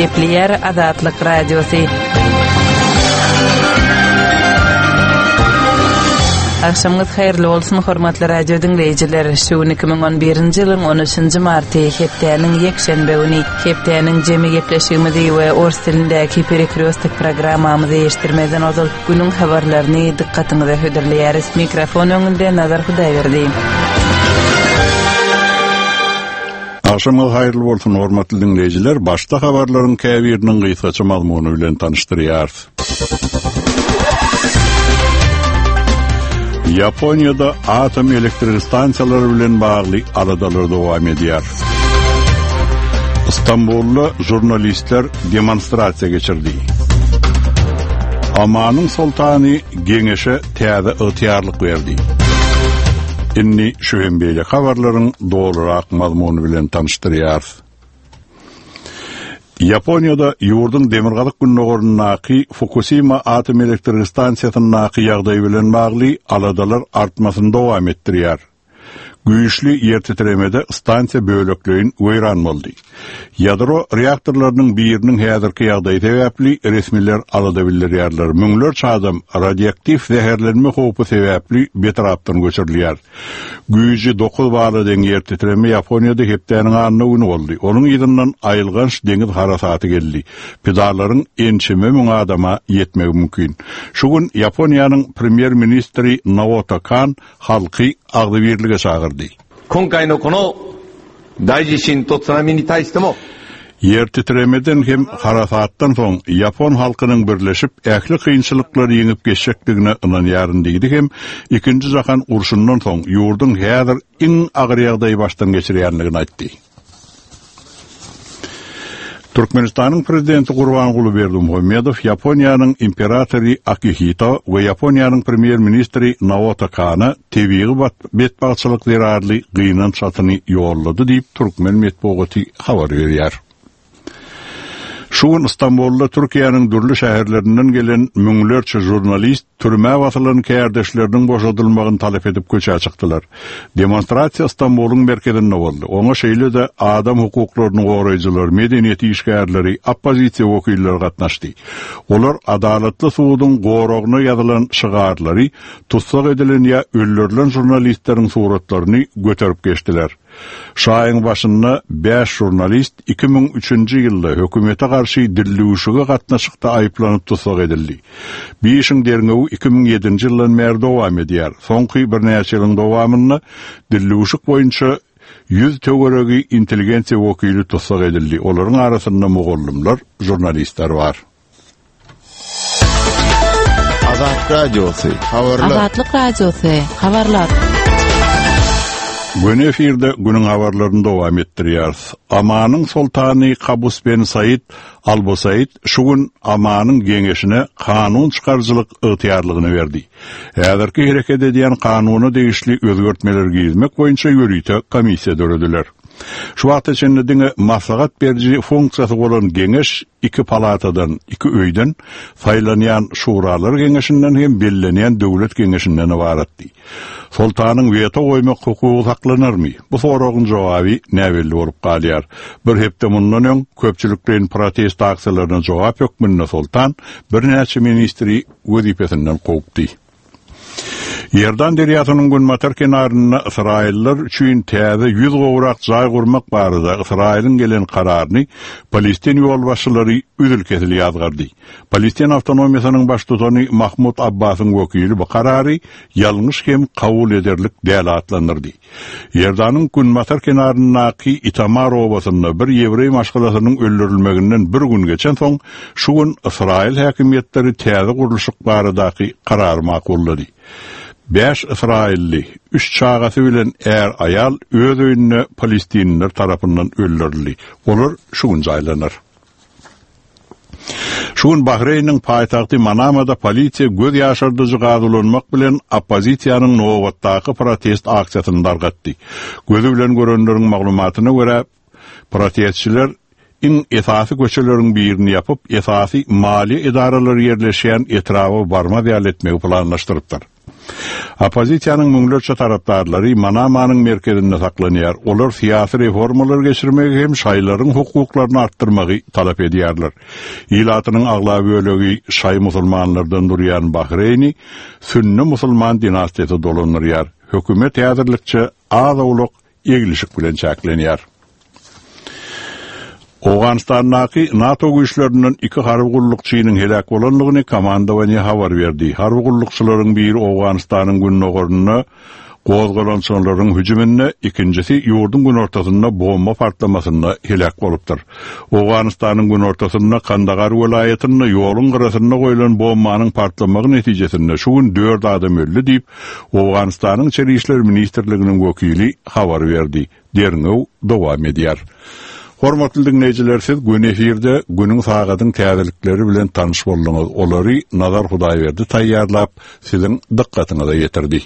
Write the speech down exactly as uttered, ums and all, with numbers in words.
Gepleýär Azatlyk Radiosy. Agşamyňyz haýyrly bolsun, hormatly radio diňleýjiler. Şu gün iki müň on birinji ýylyň on üçünji marty, hepdäniň ýekşenbe güni. Hepdäniň jemi gepleşigimizi we ors dilindäki Perekrýostok programmamyzy eşitdirmezden ozal günüň habarlaryny dykgatyňyza hödürleýäris. Mikrofon öňünde Nazar Hudaýberdi. Agşamyňyz haýyrly bolsun, hormatly diňleýjiler. Başda habarlaryň käbiriniň gysgaça mazmuny bilen tanyşdyrýarys. Ýaponiýada atom elektrik stansiýalary bilen bagly aladalar dowam edýär. Istanbulda žurnalistler demonstrasiýa geçirdi. Omanyň soltany geňeşe täze ygtyýarlyk berdi. Indi şu hem beýle habarlaryň dolurak mazmuny bilen tanyşdyrýarys. Ýaponiýada ýurduň demirgazyk gündogaryndaky Fukusima atom elektrik stansiýasyndaky ýagdaý bilen bagly aladalar artmasyny dowam etdirýär. Güýçli ýer titremede stansiýa bölekleýin weýran boldy. Ýadro reaktorlarynyň biriniň häzirki ýagdaýy sebäpli resmiler alada bildirýärler. Müňlerçe adam radioaktiw zäherlenme howpy sebäpli betrapdan göçürilýär. Güýji dokuz bala deň ýer titreme Ýaponiýada hepdäniň anna güni boldy. Onuň yzyndan aýylganç deňiz harasaty geldi. Pidalaryň ençeme müň adama ýetmegi mümkin. Şu gün Ýaponiýanyň premýer-ministri Naoto Kan halky agzybirlige çagyrdy. 今回のこの大地震と津波に対しても Ýer titremeden hem harasatdan soň Ýapon halkynyň birleşip ähli kynçylyklary ýeňip geçjekdigine ynanýaryn diýdi hem ikinji jahan urşundan soň ýurduň häzir iň agyr ýagdaýy başdan geçirýänligini aýtdy. Türkmenistanyň prezidenti Gurbanguly Berdimuhamedow Ýaponiýanyň imperatory Akihito we Ýaponiýanyň premýer-ministri Naoto Kana tebigy betbagtçylyk zerarly gynanç hatyny ýollady diýip türkmen metbugaty habar berýär. Şu gün Istanbulda Türkiýäniň dürli şäherlerinden gelen müňlerçe žurnalist türmä basylan kärdeşleriniň boşadylmagyny talap edip köçä çykdylar. Demonstrasiýa Istanbulyň merkezinde boldy. Oňa şeýle-de adam hukuklaryny goraýjylar, medeniýet işgärleri, oppozisiýa wekilleri gatnaşdy. Olar adalatly suduň goragyna ýazylan şygarlary, tutsak edilen ýa öldürilen žurnalistleriň suratlaryny göterip geçdiler. Şaýyň başynda bäş žurnalist iki müň üçünji ýylda hökümete garşy dillüwşüge gatnaşykda aýyplanyp tutsak edildi. Bir işiň derňewi iki müň ýedinji ýyldan bäri dowam edýär. Soňky birnäçe ýylyň dowamynda dillüwşük boýunça ýüz töweregi intelligensiýa wekili tutsak edildi. Olaryň arasynda mugallymlar, žurnalistler bar. Azatlyk Radiosy, habarlar. Azatlyk Radiosy, habarlar. Göni efirde günüň habarlaryny dowam etdirýäris. Omanyň soltany Kabus ben Said Al-Busaid şu gün Omanyň geňeşine kanun çykaryjylyk ygtyýarlygyny berdi. Häzirki hereket edýän kanuna degişli özgertmeler girizmek boýunça ýörite komissiýa dörediler. Şu wagta çenli diňe maslahat beriji funksiýasy bolan geňeş iki palatadan, iki öýden saýlanýan şuralar geňeşinden hem bellenýän döwlet geňeşinden ybaratdy. Soltanyň weto goýmak hukugy saklanarmy? Bu soragyň jogaby näbelli bolup galýar. Bir hepde mundan öň köpçülikleýin protest aksiýalaryna jogap hökmünde Soltan birnäçe ministri wezipesinden kowupdy. Ýerdan derýasynyň günbatar kenarynda Ysraýyllar üçin täze ýüz gowrak jaý gurmak barada Ysraýylyň gelen kararyny Palestin ýolbaşçylary üzül-kesil ýazgardy. Palestin awtonomiýasynyň baştutany Mahmud Abbasyň wekili bu karary ýalňyş hem kabul ederlik däl atlandyrdy. Ýerdanyň günbatar kenaryndaky Itamar obasynda bir ýewreý maşgalasynyň öldürilmeginden bir gün geçen soň şu gün Ysraýyl häkimiýetleri täze gurluşyk baradaky karary makullady. Bäş Ysraýylly, üç çagasy bilen är aýal öz öýünde Palestinliler tarapyndan öldürildi. Olar şu gün jaýlanar. Şu gün Bahreýniň paýtagty Manamada polisiýa göz ýaşardyjy gaz ulanmak bilen oppozisiýanyň nobatdaky protest aksiýasyny dargatdy. Gözi bilen görenleriň maglumatyna görä, protestçiler iň esasy köçeleriň birini ýapyp, esasy maliýe edaralary ýerleşýän etraba barmaz ýaly etmegi planlaşdyrypdyr. Oppozisiýanyň müňlerçe tarapdarlary Manamanyň merkezinde saklanýar. Olar syýasy reformalar geçirmegi hem şaýlaryň hukuklaryny artdyrmagy talap edýärler. Ilatynyň aglaba bölegi şaý musulmanlardan durýan Bahreýni sünni musulman dinastiýasy dolandyrýar. Hökümet häzirlikçe az-owlak eglişik bilen çäklenýär. Owganystandaky NATO güýçlerinden iki harby gullukçynyň helak bolandygyny komandowaniýe habar berdi. Harby gullukçylaryň biri Owganystanyň gündogarynda gozgalaňçylaryň hüjüminde, ikinjisi ýurduň günortasynda bomba partlamasynda helak bolupdyr. Owganystanyň günortasynda Kandahar welaýatynda ýoluň gyrasynda goýlan bombanyň partlamagy netijesinde şu gün dört adam öldi diýip, Owganystanyň Içeri işler ministrliginiň wekili habar berdi. Derňew dowam edýär. Hormatly dinleýjiler, siz gün efirde günüň sagadyň täzelikleri bilen tanyş bolduňyz. Olary Nazar Hudaýberdi taýýarlap, siziň dykgatyňyza ýetirdi.